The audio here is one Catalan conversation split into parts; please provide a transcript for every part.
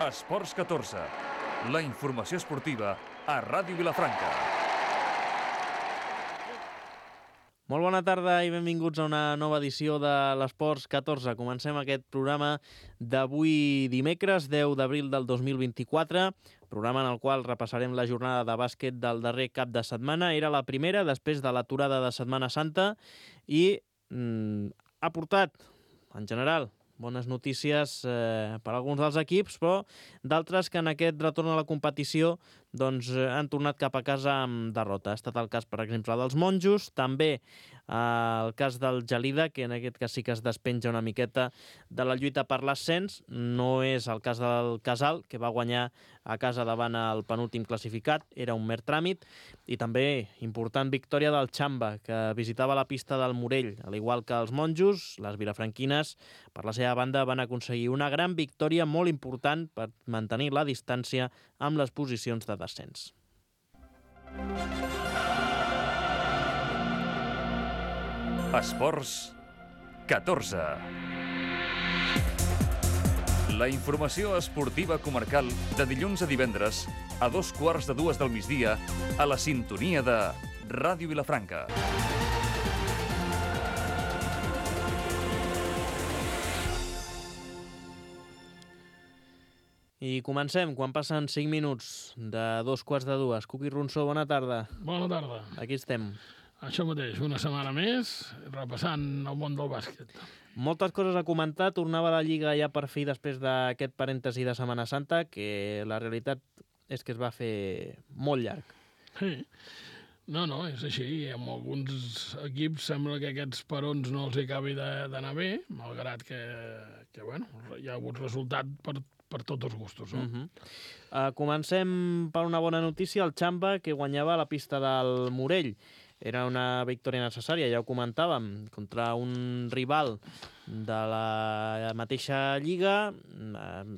Esports 14, la informació esportiva a Ràdio Vilafranca. Molt bona tarda i benvinguts a una nova edició de l'Esports 14. Comencem aquest programa d'avui dimecres, 10 d'abril del 2024, programa en el qual repassarem la jornada de bàsquet del darrer cap de setmana. Era la primera després de l'aturada de Setmana Santa i ha portat, en general, bones notícies per a alguns dels equips, però d'altres que en aquest retorn a la competició han tornat cap a casa amb derrota. Ha estat el cas, per exemple, dels monjos, també el cas del Gelida, que en aquest cas sí que es despenja una miqueta de la lluita per l'ascens. No és el cas del Casal, que va guanyar a casa davant el penúltim classificat, era un mer tràmit, i també important victòria del Xamba, que visitava la pista del Morell. Al igual que els monjos, les vilafranquines, per la seva banda, van aconseguir una gran victòria molt important per mantenir la distància amb les posicions de descens. Esports 14. La informació esportiva comarcal de dilluns a divendres a 2:15 del migdia a la sintonia de Ràdio Vilafranca. I comencem, quan passen 5 minuts de 2:15. Cuqui Ronsó, bona tarda. Bona tarda. Aquí estem. Això mateix, una setmana més, repassant el món del bàsquet. Moltes coses a comentar. Tornava la Lliga ja per fi després d'aquest parèntesi de Setmana Santa, que la realitat és que es va fer molt llarg. Sí. No, és així. Amb alguns equips sembla que aquests perons no els acabi d'anar bé, malgrat que bueno, hi ha hagut resultat per tots els gustos. No? Comencem per una bona notícia. El Xamba, que guanyava a la pista del Morell. Era una victòria necessària, ja ho comentàvem, contra un rival de la mateixa lliga.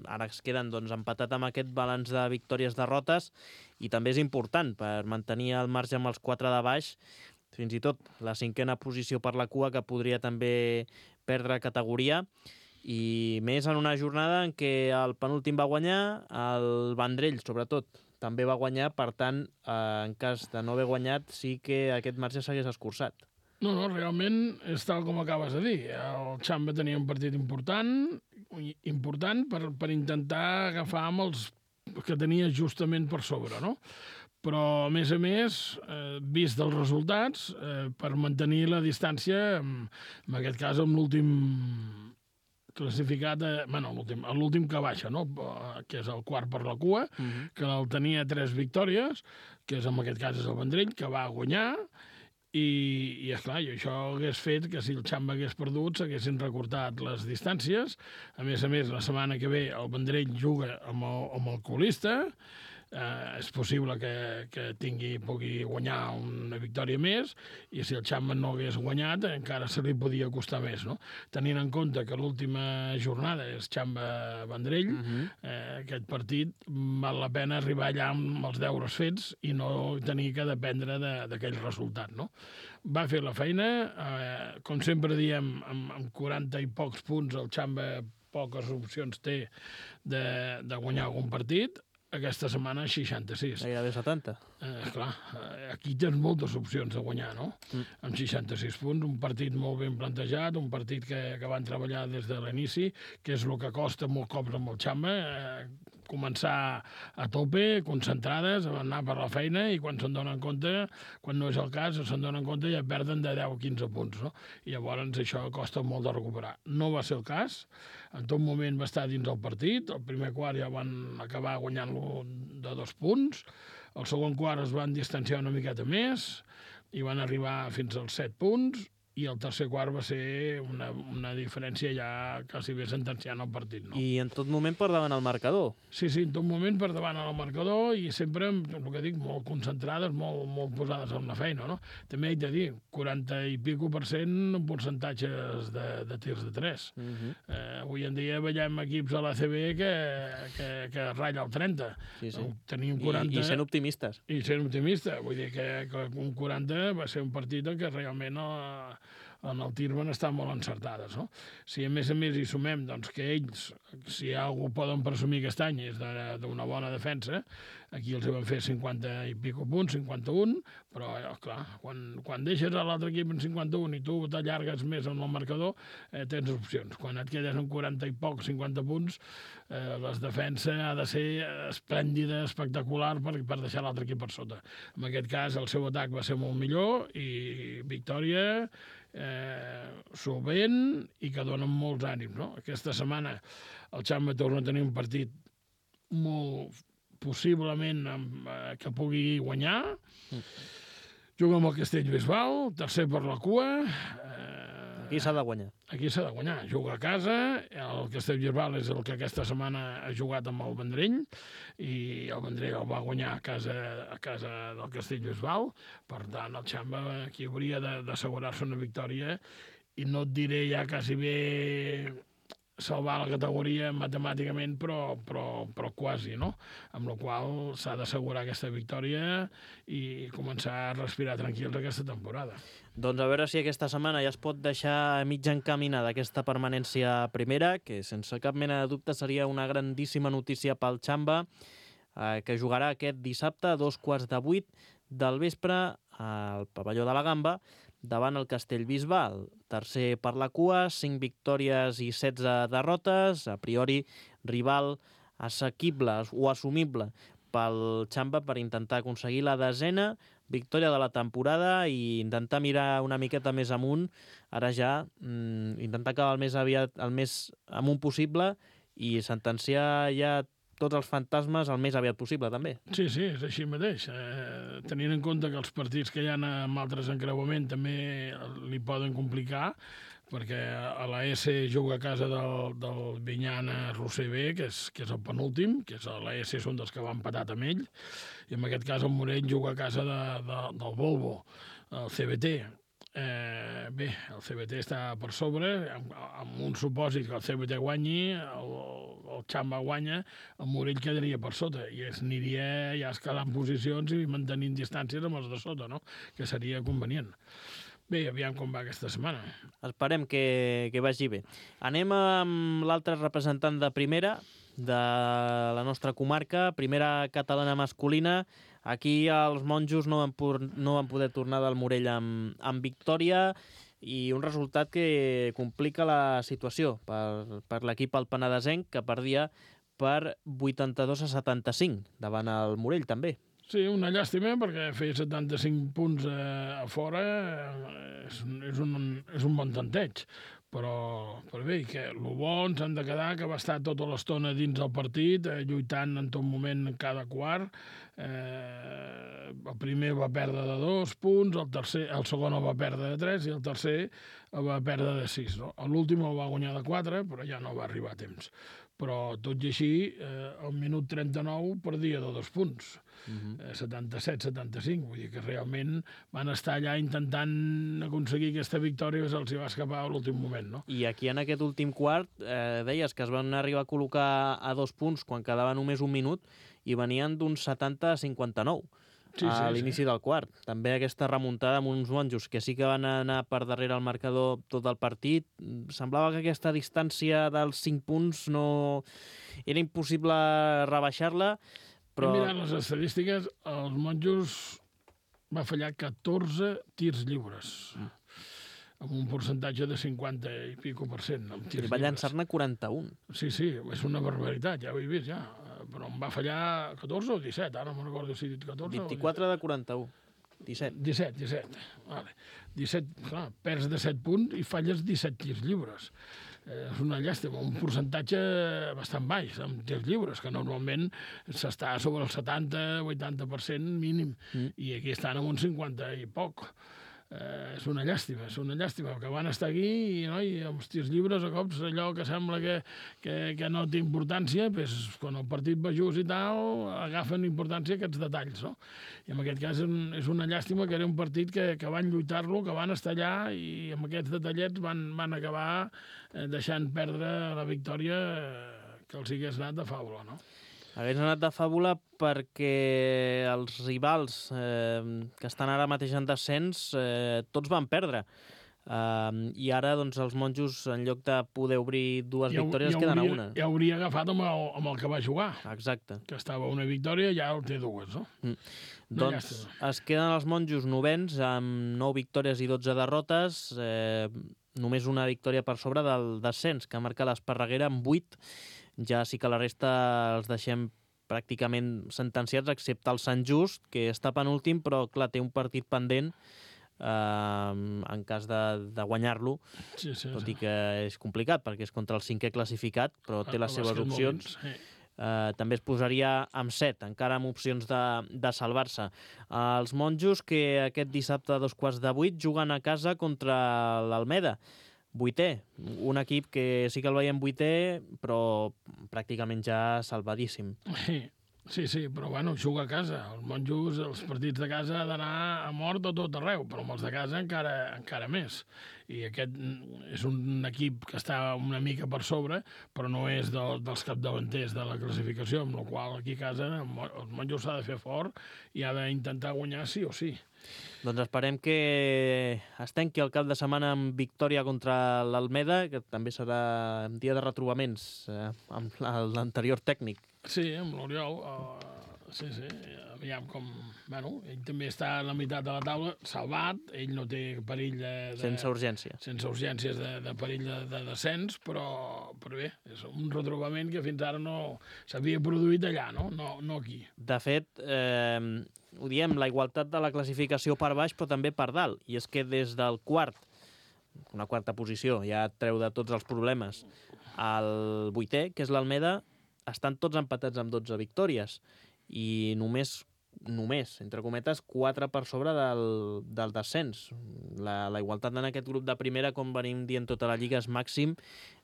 Ara es queden empatat amb aquest balanç de victòries-derrotes, i també és important per mantenir el marge amb els 4 de baix, fins i tot la 5a posició per la cua, que podria també perdre categoria. I més en una jornada en què el penúltim va guanyar, el Vendrell, sobretot, també va guanyar. Per tant, en cas de no haver guanyat, sí que aquest marge s'hagués escurçat. No, realment és tal com acabes de dir. El Xamba tenia un partit important per intentar agafar amb els que tenia justament per sobre, no? Però, a més, vist els resultats, per mantenir la distància, en aquest cas amb l'últim classificat, l'últim que baixa, no? Que és el quart per la cua, que el tenia 3 victòries, que en aquest cas és el Vendrell, que va guanyar, i esclar, això hagués fet que si el Xamba hagués perdut s'haguessin recortat les distàncies. A més, la setmana que ve el Vendrell juga amb el colista. És possible que pugui guanyar una victòria més, i si el Xamba no hagués guanyat encara se li podia costar més, no? Tenint en compte que l'última jornada és Xamba-Vendrell, aquest partit val la pena arribar allà amb els deures fets i no tenir que dependre d'aquell resultat, no? Va fer la feina, com sempre diem, amb 40 i pocs punts el Xamba poques opcions té de guanyar algun partit. Aquesta setmana 66. Gairebé 70. Clar, aquí tens moltes opcions de guanyar, no? Amb 66 punts, un partit molt ben plantejat, un partit que van treballar des de l'inici, que és el que costa molt cops amb el Xamba, començar a tope, concentrades, anar per la feina, i quan se'n donen compte, quan no és el cas, se'n donen compte i ja perden de 10 o 15 punts, no? I llavors això costa molt de recuperar. No va ser el cas, en tot moment va estar dins el partit, el primer quart ja van acabar guanyant-lo de 2 punts, el segon quart es van distanciar una miqueta més i van arribar fins als 7 punts, i el tercer quart va ser una diferència ja quasi bé sentenciant el partit, no? I en tot moment per davant el marcador. Sí, en tot moment per davant el marcador, i sempre, el que dic, molt concentrades, molt posades en la feina, no? També haig de dir, 40 i pico % en percentatges de tirs de 3. Avui en dia veiem equips a l'ACB que ratlla el 30. Sí. Tenim 40... I sent optimistes. I sent optimista. Vull dir que un 40 va ser un partit en què realment en el tir van estar molt encertades, no? Si a més hi sumem doncs, que ells, si algú poden presumir aquest any, és d'una bona defensa, aquí els van fer 50 i pico punts, 51, però, clar, quan deixes a l'altre equip en 51 i tu t'allargues més en el marcador, tens opcions. Quan et quedes en 40 i poc, 50 punts, la defensa ha de ser esplèndida, espectacular, per deixar l'altre equip per sota. En aquest cas, el seu atac va ser molt millor i victòria solvent i que donen molts ànims, no? Aquesta setmana el Xamba torna a tenir un partit molt possiblement que pugui guanyar. Juga amb el Castellbisbal, tercer per la cua. Aquí s'ha de guanyar. Aquí s'ha de guanyar. Juga a casa, el Castellbisbal és el que aquesta setmana ha jugat amb el Vendrell, i el Vendrell el va guanyar a casa del Castellbisbal. Per tant, el Xamba aquí hauria d'assegurar-se una victòria, i no et diré ja quasi bé salvar la categoria matemàticament, però quasi, no? Amb la qual s'ha d'assegurar aquesta victòria i començar a respirar tranquils aquesta temporada. Doncs a veure si aquesta setmana ja es pot deixar mig encaminada aquesta permanència a primera, que sense cap mena de dubte seria una grandíssima notícia pel Xamba, que jugarà aquest dissabte a 7:15 del vespre al pavelló de la Gamba, davant el Castellbisbal, tercer per la cua, 5 victòries i 16 derrotes, a priori rival assequible o assumible pel Xamba per intentar aconseguir la 10ª victòria de la temporada i intentar mirar una miqueta més amunt, ara ja intentar acabar el més aviat, el més amunt possible i sentenciar ja tots els fantasmes el més aviat possible, també. Sí, és així mateix. Tenint en compte que els partits que hi ha amb altres encreuament també li poden complicar, perquè a la S juga a casa del Vinyana Roser B, que és el penúltim, que és a la S són dels que van empatat amb ell, i en aquest cas el Morell juga a casa del Volvo, el CBT. Bé, el CBT està per sobre, amb un supòsit que el CBT guanyi, el Xamba guanya, el Morell quedaria per sota i es aniria ja escalant posicions i mantenint distàncies amb els de sota, no? Que seria convenient. Bé, aviam com va aquesta setmana. Esperem que vagi bé. Anem amb l'altre representant de primera, de la nostra comarca, primera catalana masculina. Aquí els monjos no van poder tornar del Morell amb victòria i un resultat que complica la situació per l'equip alpenadesenc, que perdia per 82-75 davant el Morell, també. Sí, una llàstima, perquè fer 75 punts a fora és un bon tanteig. Però bé, que el bo ens han de quedar que va estar tota l'estona dins del partit, lluitant en tot moment en cada quart. El primer va perdre de 2 punts, el segon el va perdre de 3 i el tercer el va perdre de 6. No? L'últim el va guanyar de 4, però ja no va arribar a temps. Però tot i així, al minut 39 perdia de 2 punts. 77-75, vull dir que realment van estar allà intentant aconseguir aquesta victòria que se'ls va escapar a l'últim moment, no? I aquí en aquest últim quart deies que es van arribar a col·locar a 2 punts quan quedava només un minut i venien d'un 70-59 a l'inici del quart. També aquesta remuntada amb uns monjos que sí que van anar per darrere el marcador tot el partit. Semblava que aquesta distància dels 5 punts no era impossible rebaixar-la, però... Mirant les estadístiques, els monjos va fallar 14 tirs lliures, amb un percentatge de 50 i pico %. I va llançar-ne 41. Sí, és una barbaritat, ja ho he vist, ja. Però em va fallar 14 o 17, ara no me'n recordo si he dit 14 24 de 41. 17. 17. Vale. 17, clar, perds de 7 punts i falles 17 tirs lliures. És una llàstima, un percentatge bastant baix amb tirs lliures, que normalment s'està sobre el 70-80% mínim, i aquí estan amb un 50 i poc. És una llàstima, que van estar aquí i els tirs lliures a cops allò que sembla que no té importància, doncs, quan el partit va just i tal, agafen importància aquests detalls, no? I en aquest cas és una llàstima que era un partit que van lluitar-lo, que van estar allà i amb aquests detallets van acabar deixant perdre la victòria que els hagués anat de fàbula, no? Hagués anat de fàbula perquè els rivals que estan ara mateix en descens tots van perdre. I ara doncs, els monjos, en lloc de poder obrir dues victòries, queden a una. Ja hauria agafat amb el que va jugar. Exacte. Que estava una victòria, ja el té dues, no? Doncs es queden els monjos novens amb 9 victòries i 12 derrotes, només una victòria per sobre del descens, que marca l'Esparreguera amb 8. Ja sí que la resta els deixem pràcticament sentenciats, excepte el Sant Just, que està penúltim, però clar, té un partit pendent en cas de guanyar-lo, tot i que és complicat, perquè és contra el 5è classificat, però té les seves opcions. També es posaria amb 7, encara amb opcions de salvar-se. Els monjos, que aquest dissabte a 7:15 juguen a casa contra l'Almeda, 8è, un equip que sí que el veiem 8è, però pràcticament ja salvadíssim. Sí, però bueno, juga a casa. Els monjos, els partits de casa ha d'anar a mort a tot arreu, però amb els de casa encara més. I aquest és un equip que està una mica per sobre, però no és dels capdavanters de la classificació, amb la qual aquí a casa els monjos s'ha de fer fort i ha d'intentar guanyar sí o sí. Doncs esperem que es tanqui el cap de setmana amb victòria contra l'Almeda, que també serà dia de retrobaments amb l'anterior tècnic. Sí, amb l'Oriol. Sí, aviam com... Bueno, ell també està a la meitat de la taula, salvat, ell no té perill sense urgència. Sense urgències de perill de descens, però bé, és un retrobament que fins ara no s'havia produït allà, no aquí. De fet, ho diem, la igualtat de la classificació per baix, però també per dalt, i és que des del una quarta posició, ja et treu de tots els problemes, al 8è, que és l'Almeda, estan tots empatats amb 12 victòries, i només, entre cometes, 4 per sobre del descens. La igualtat en aquest grup de primera, com venim dient tota la lliga, és màxim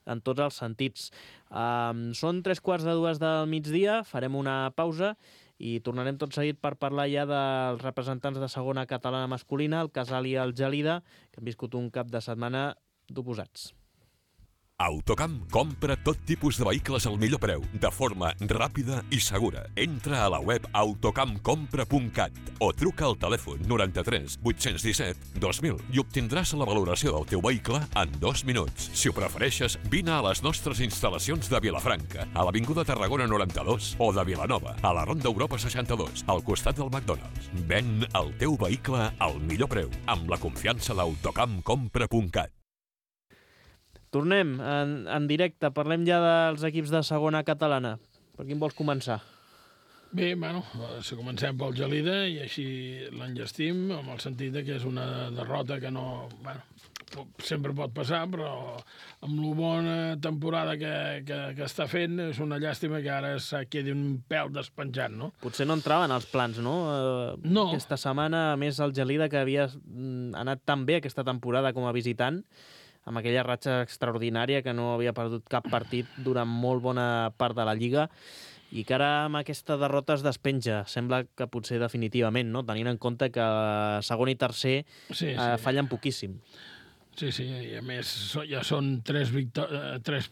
en tots els sentits. Són 3:15 del migdia, farem una pausa i tornarem tot seguit per parlar ja dels representants de segona catalana masculina, el Casal i el Gelida, que han viscut un cap de setmana d'oposats. Autocamp compra tot tipus de vehicles al millor preu, de forma ràpida i segura. Entra a la web autocampcompra.cat o truca al telèfon 93 817 2000 i obtindràs la valoració del teu vehicle en 2 minuts. Si ho prefereixes, vine a les nostres instal·lacions de Vilafranca, a l'Avinguda Tarragona 92, o de Vilanova, a la Ronda Europa 62, al costat del McDonald's. Ven el teu vehicle al millor preu, amb la confiança d'autocampcompra.cat. Tornem en directe, parlem ja dels equips de segona catalana. Per quin vols començar? Bé, bueno, si comencem pel Gelida i així l'enllestim, amb el sentit que és una derrota que no... Bueno, sempre pot passar, però amb la bona temporada que està fent és una llàstima que ara quedi un pèl despenjat, no? Potser no entraven els plans, no? No. Aquesta setmana, a més, el Gelida, que havia anat tan bé aquesta temporada com a visitant, amb aquella ratxa extraordinària que no havia perdut cap partit durant molt bona part de la Lliga, i que ara amb aquesta derrota es despenja. Sembla que potser definitivament, no? Tenint en compte que segon i tercer fallen poquíssim. Sí, i a més ja són 3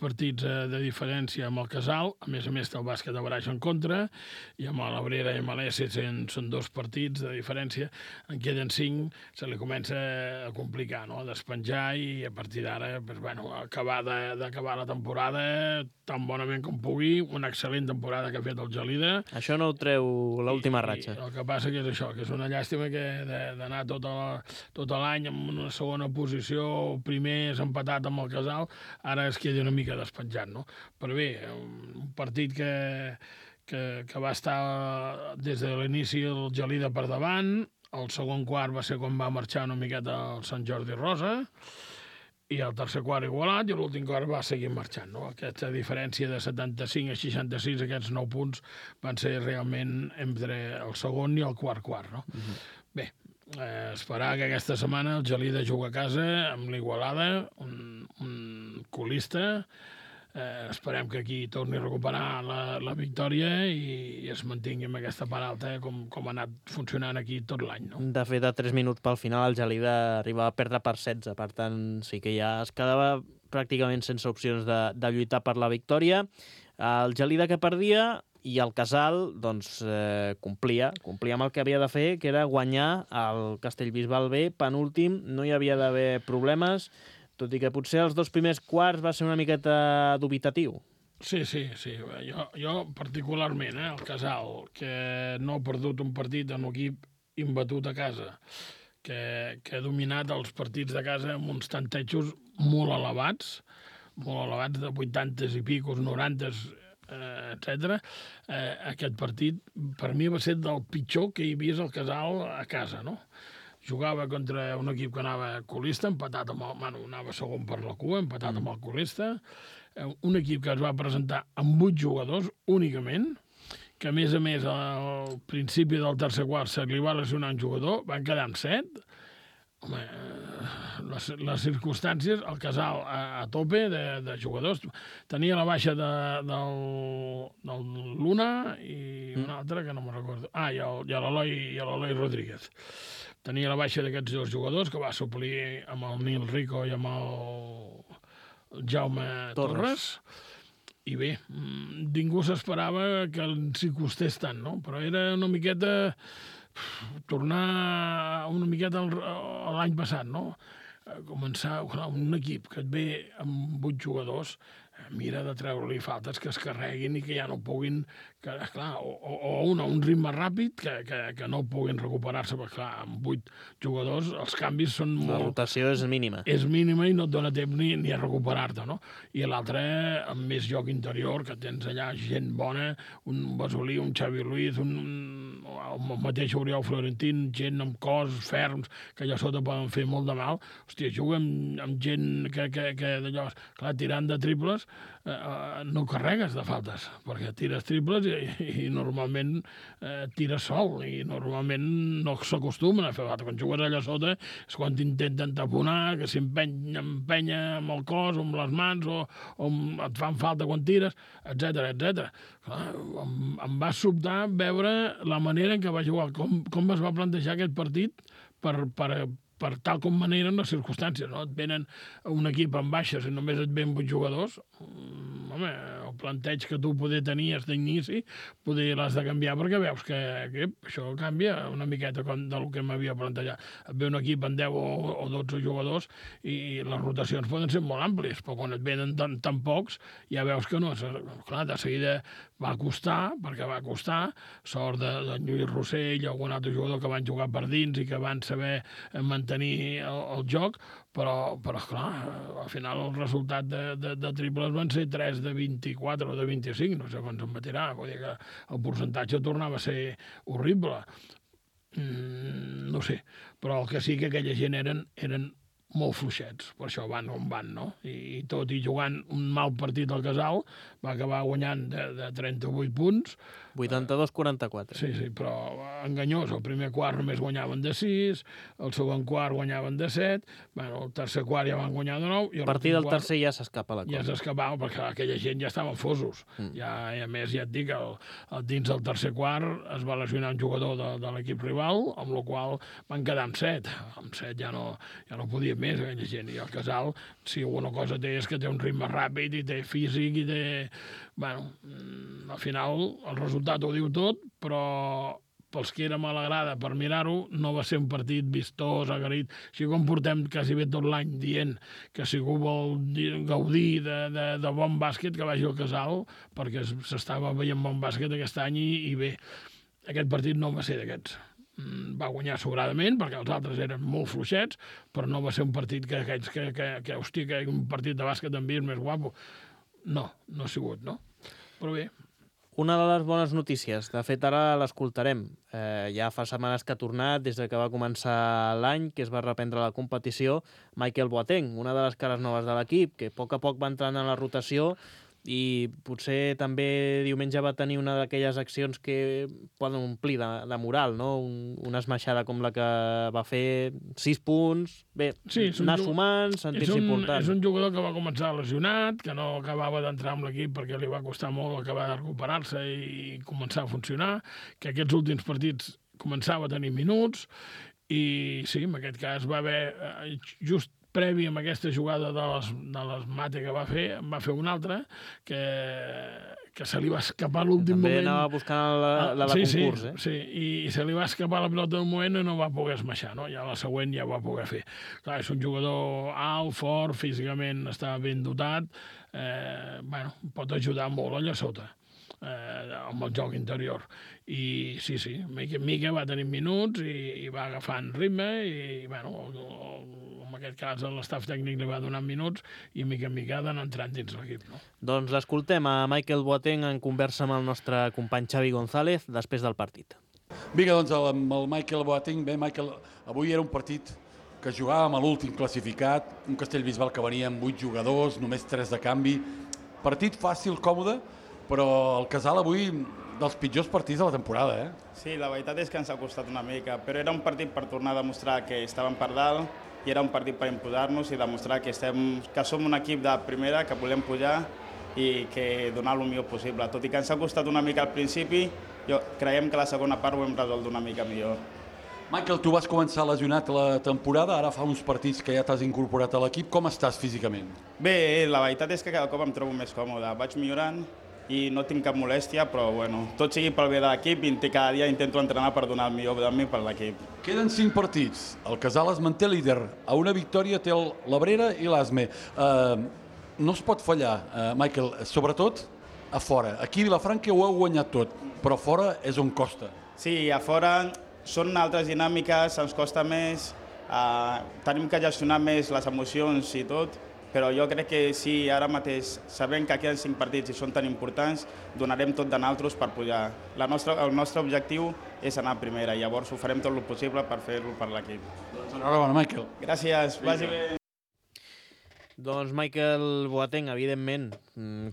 partits de diferència amb el Casal, a més té el bàsquet de Baraix en contra, i amb l'Abrera i amb l'Essi són 2 partits de diferència, en queden 5, se li comença a complicar, no?, a despenjar, i a partir d'ara, acabar la temporada tan bonament com pugui, una excel·lent temporada que ha fet el Gelida. Això no ho treu l'última ratxa. El que passa que és això, que és una llàstima que d'anar tot l'any en una segona posició, primer és empatat amb el Casal, ara es queda una mica despenjat, no? Però bé, un partit que va estar des de l'inici el Gelida per davant, el segon quart va ser quan va marxar una miqueta el Sant Jordi Rosa, i el tercer quart igualat, i l'últim quart va seguir marxant, no? Aquesta diferència de 75 a 66, aquests 9 punts, van ser realment entre el segon i el quart, no? Bé, esperar que aquesta setmana el Gelida juga a casa amb l'Igualada, un colista. Esperem que aquí torni a recuperar la victòria i es mantingui amb aquesta part alta com ha anat funcionant aquí tot l'any, no? De fet, a 3 minuts pel final el Gelida arribava a perdre per 16, per tant sí que ja es quedava pràcticament sense opcions de lluitar per la victòria. El Gelida que perdia, i el Casal doncs, complia amb el que havia de fer, que era guanyar el Castellbisbal B, penúltim, no hi havia d'haver problemes, tot i que potser els 2 primers quarts va ser una miqueta dubitatiu. Sí. Jo particularment, el Casal, que no ha perdut un partit en un equip imbatut a casa, que ha dominat els partits de casa amb uns tantejos molt elevats de 80 i picos, 90, etc. Aquest partit, per mi, va ser del pitjor que hi havia el Casal a casa, no? Jugava contra un equip que anava colista, anava segon per la cua, empatat amb el colista, un equip que es va presentar amb 8 jugadors únicament, que a més, al principi del tercer quart se li va lesionar un jugador, van quedar amb 7. Home, les circumstàncies, el Casal a tope de jugadors. Tenia la baixa del Luna i un altre que no me'n recordo. I l'Eloi Rodríguez. Tenia la baixa d'aquests 2 jugadors que va suplir amb el Nil Rico i amb el Jaume Torres. I bé, ningú s'esperava que s'hi costés tant, no? Però era una miqueta tornar una miqueta a l'any passat, no? Començar un equip que et ve amb 8 jugadors, mira de treure-li faltes que es carreguin i que ja no puguin, o un ritme ràpid que no puguin recuperar-se, perquè clar, amb 8 jugadors els canvis són molt... La rotació és mínima. És mínima i no et dona temps ni a recuperar-te, no? I l'altre, amb més joc interior, que tens allà gent bona, un Basolí, un Xavi Luiz, el mateix Oriol Florentín, gent amb cos, ferms, que allà sota poden fer molt de mal. Hòstia, juga amb gent que d'allò, clar, tirant de triples, no carregues de faltes, perquè tires triples i normalment tires sol, i normalment no s'acostumen a fer faltes. Quan jugues allà sota és quan t'intenten taponar, que s'empenya amb el cos o amb les mans, o et fan falta quan tires, etc. Em va sobtar veure la manera en què va jugar, com es va plantejar aquest partit per tal com maneren les circumstàncies, no? Et venen un equip amb baixes i només et ven 8 jugadors, home, el planteig que tu poder tenies d'inici, poder l'has de canviar perquè veus que això canvia una miqueta del que m'havia plantejat. Et ve un equip amb 10 o 12 jugadors i les rotacions poden ser molt àmplies, però quan et venen tan pocs ja veus que no. Clar, de seguida va costar, sort de Lluís Rossell o algun altre jugador que van jugar per dins i que van saber mantenir el joc, però clar, al final el resultat de triples van ser 3 de 24 o de 25, no sé quants en batirà, vull dir que el percentatge tornava a ser horrible. No sé, però el que sí que aquella gent eren molt fluixets, per això van on van, no? I tot i jugant un mal partit al Casal, va acabar guanyant de 38 punts. 82-44. Sí, però enganyós. El primer quart només guanyaven de 6, el segon quart guanyaven de 7, bueno, el tercer quart ja van guanyar de 9... A partir del tercer ja s'escapa la cosa. Ja s'escapava, perquè aquella gent ja estaven fosos. I a més, ja et dic, dins del tercer quart es va lesionar un jugador de l'equip rival, amb la qual van quedar amb 7. Amb 7 ja no podia més, aquella gent. I el Casal, si alguna cosa té, és que té un ritme ràpid i té físic i té... Bueno, al final el resultat ho diu tot, però pels que érem a la grada per mirar-ho, no va ser un partit vistós, agraït. Així com portem quasi bé tot l'any dient que si algú vol gaudir de bon bàsquet, que vagi al Casal, perquè s'estava veient bon bàsquet aquest any i bé, aquest partit no va ser d'aquests. Va guanyar sobradament, perquè els altres eren molt fluixets, però no va ser un partit que hòstia, que un partit de bàsquet en vist més guapo. No ha sigut, no? Però bé. Una de les bones notícies, de fet ara l'escoltarem, ja fa setmanes que ha tornat, des que va començar l'any, que es va reprendre la competició, Michael Boateng, una de les cares noves de l'equip, que a poc va entrant en la rotació i potser també diumenge va tenir una d'aquelles accions que poden omplir de moral, no? Una esmaixada com la que va fer, 6 punts, bé, anar sumant, sentir-se important. És un jugador que va començar lesionat, que no acabava d'entrar amb l'equip perquè li va costar molt acabar de recuperar-se i començar a funcionar, que aquests últims partits començava a tenir minuts, i sí, en aquest cas va haver just previ amb aquesta jugada de les mate que va fer, en va fer una altra que se li va escapar a l'últim moment. També anava buscant la de concurs, eh? Sí, i se li va escapar la pilota d'un moment i no va poder esmaixar, no? Ja la següent ja va poder fer. Clar, és un jugador alt, fort, físicament està ben dotat, pot ajudar molt allà sota amb el joc interior. I sí, mica en mica va tenir minuts i va agafant ritme i, en aquest cas l'estaf tècnic li va donant minuts i mica en mica ha d'anar entrant dins l'equip, no? Doncs l'escoltem a Michael Boateng en conversa amb el nostre company Xavi González després del partit. Vinga, doncs amb el Michael Boateng. Bé, Michael, avui era un partit que jugàvem a l'últim classificat, un Castellbisbal que venia amb 8 jugadors, només 3 de canvi. Partit fàcil, còmode, però el Casal avui dels pitjors partits de la temporada, eh? Sí, la veritat és que ens ha costat una mica, però era un partit per tornar a demostrar que estàvem per dalt i era un partit per imposar-nos i demostrar que som un equip de primera, que volem pujar i que donar el millor possible. Tot i que ens ha costat una mica al principi, creiem que la segona part ho hem resolt una mica millor. Michael, tu vas començar lesionat la temporada, ara fa uns partits que ja t'has incorporat a l'equip. Com estàs físicament? Bé, la veritat és que cada cop em trobo més còmode. Vaig millorant i no tinc cap molèstia, però tot sigui pel bé de l'equip i cada dia intento entrenar per donar el millor de mi per l'equip. Queden 5 partits. El Casal es manté líder. A una victòria té l'Abrera i l'Asme. No es pot fallar, Michael, sobretot a fora. Aquí a Vilafranca ho heu guanyat tot, però a fora és on costa. Sí, a fora són altres dinàmiques, ens costa més, tenim que gestionar més les emocions i tot, però jo crec que sí, ara mateix, sabent que queden 5 partits i són tan importants, donarem tot de nosaltres per pujar. El nostre objectiu és anar a primera, llavors ho farem tot el possible per fer-ho per l'equip. Doncs enhorabona, Michael. Gràcies, vagi bé. Doncs Michael Boateng, evidentment,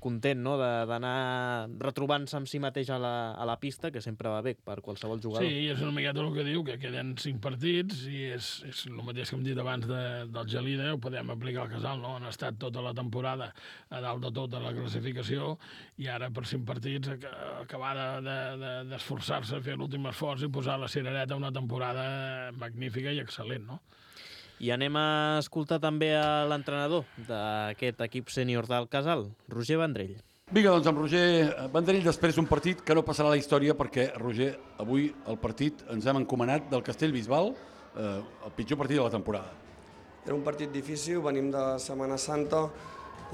content, no?, d'anar retrobant-se amb si mateix a la pista, que sempre va bé per qualsevol jugador. Sí, és una miqueta el que diu, que queden 5 partits i és el mateix que hem dit abans del Gelida, ho podem aplicar al Casal, no? Han estat tota la temporada a dalt de tot de la classificació i ara per 5 partits acabar d'esforçar-se, fer l'últim esforç i posar la cirereta a una temporada magnífica i excel·lent, no? I anem a escoltar també a l'entrenador d'aquest equip sènior del Casal, Roger Vendrell. Vinga, doncs amb Roger Vendrell, després d'un partit que no passarà a la història perquè, Roger, avui el partit ens hem encomanat del Castellbisbal, el pitjor partit de la temporada. Era un partit difícil, venim de Setmana Santa,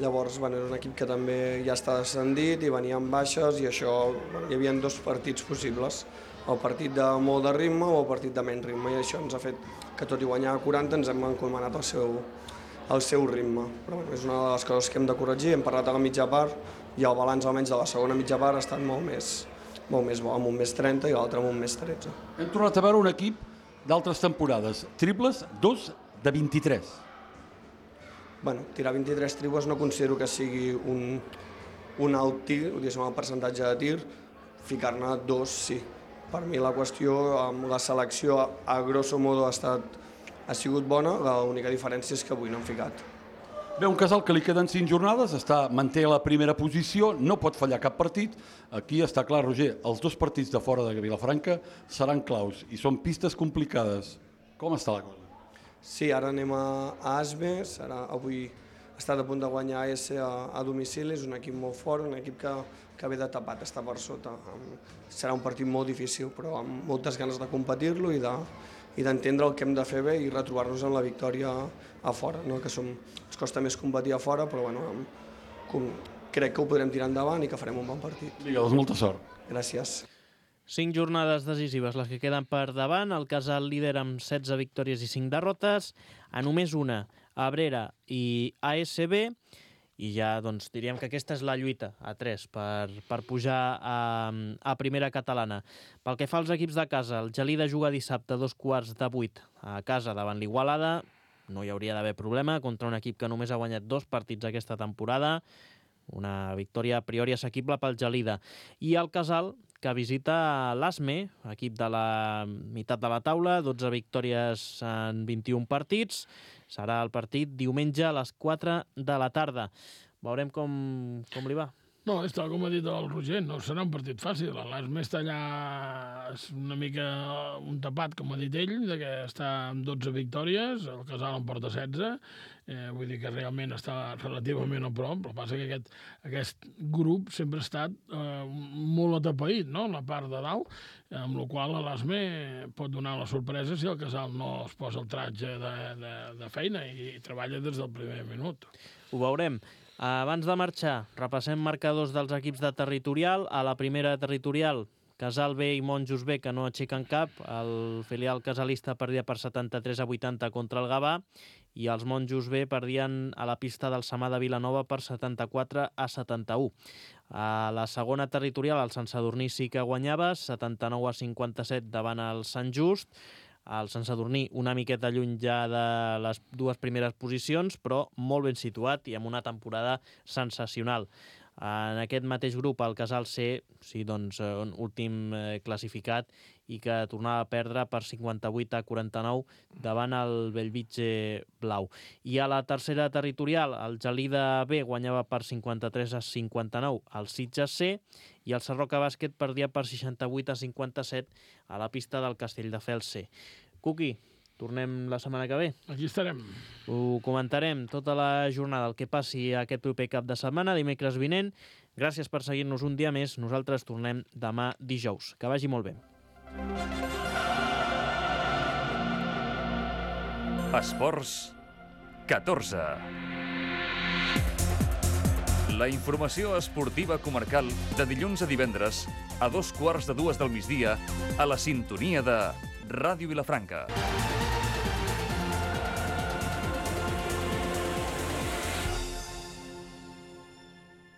llavors era un equip que també ja està descendit i venia amb baixes i això, hi havia 2 partits possibles, el partit de molt de ritme o el partit de menys ritme, i això ens ha fet que tot i guanyar 40 ens hem encomanat al seu ritme. Però és una de les coses que hem de corregir, hem parlat a la mitja part i el balanç almenys de la segona mitja part ha estat molt més bo, amb un més 30 i l'altre amb un més 13. Hem tornat a veure un equip d'altres temporades, triples, 2 de 23. Tirar 23 triples no considero que sigui un alt tir, diguéssim, el percentatge de tir, ficar-ne 2 sí. Per mi la qüestió amb la selecció a grosso modo ha sigut bona, l'única diferència és que avui no hem ficat. Bé, un Casal que li queden 5 jornades, manté la primera posició, no pot fallar cap partit. Aquí està clar, Roger, els 2 partits de fora de Vilafranca seran claus i són pistes complicades. Com està la cosa? Sí, ara anem a Asme, avui ha estat a punt de guanyar AS a domicili, és un equip molt fort, un equip que ve de tapat, està per sota. Serà un partit molt difícil, però amb moltes ganes de competir-lo i d'entendre el que hem de fer bé i retrobar-nos en la victòria a fora, no? Que ens costa més competir a fora, però crec que ho podrem tirar endavant i que farem un bon partit. Vinga, doncs molta sort. Gràcies. 5 jornades decisives les que queden per davant, el Casal líder amb 16 victòries i 5 derrotes, a només una, Abrera i ASB, i ja diríem que aquesta és la lluita a 3 per pujar a primera catalana. Pel que fa als equips de casa, el Gelida juga dissabte a 7:15 a casa davant l'Igualada, no hi hauria d'haver problema contra un equip que només ha guanyat 2 partits aquesta temporada, una victòria a priori assequible pel Gelida. I el Casal, que visita l'Asme, equip de la meitat de la taula, 12 victòries en 21 partits. Serà el partit diumenge a les 4 de la tarda. Veurem com li va. No, és tal com ha dit el Roger, no serà un partit fàcil. L'Asme està allà, és una mica un tapat, com ha dit ell, de que està amb 12 victòries, el Casal en porta 16, vull dir que realment està relativament a prop, però passa que aquest grup sempre ha estat molt atapeït, no?, la part de dalt, amb la qual l'Asme pot donar la sorpresa si el Casal no es posa el tratge de feina i treballa des del primer minut. Ho veurem. Abans de marxar, repassem marcadors dels equips de territorial. A la primera territorial, Casal B i Monjos B, que no aixequen cap. El filial casalista perdia per 73-80 contra el Gavà i els Monjos B perdien a la pista del Samà de Vilanova per 74-71. A la segona territorial, el Sant Sadurní sí que guanyava, 79-57 davant el Sant Just. El Sant Sadurní una miqueta lluny ja de les dues primeres posicions, però molt ben situat i amb una temporada sensacional. En aquest mateix grup, el Casal C, sí, doncs, últim classificat i que tornava a perdre per 58-49 davant el Bellvitge Blau. I a la tercera territorial, el Gelida B guanyava per 53-59 al Sitges C i el Sarroca Bàsquet perdia per 68-57 a la pista del Castelldefels C. Cuqui, tornem la setmana que ve. Aquí estarem. Ho comentarem tota la jornada, el que passi aquest proper cap de setmana, dimecres vinent. Gràcies per seguir-nos un dia més. Nosaltres tornem demà dijous. Que vagi molt bé. Esports 14. La informació esportiva comarcal de dilluns a divendres a 2:15 del migdia a la sintonia de Ràdio Vilafranca.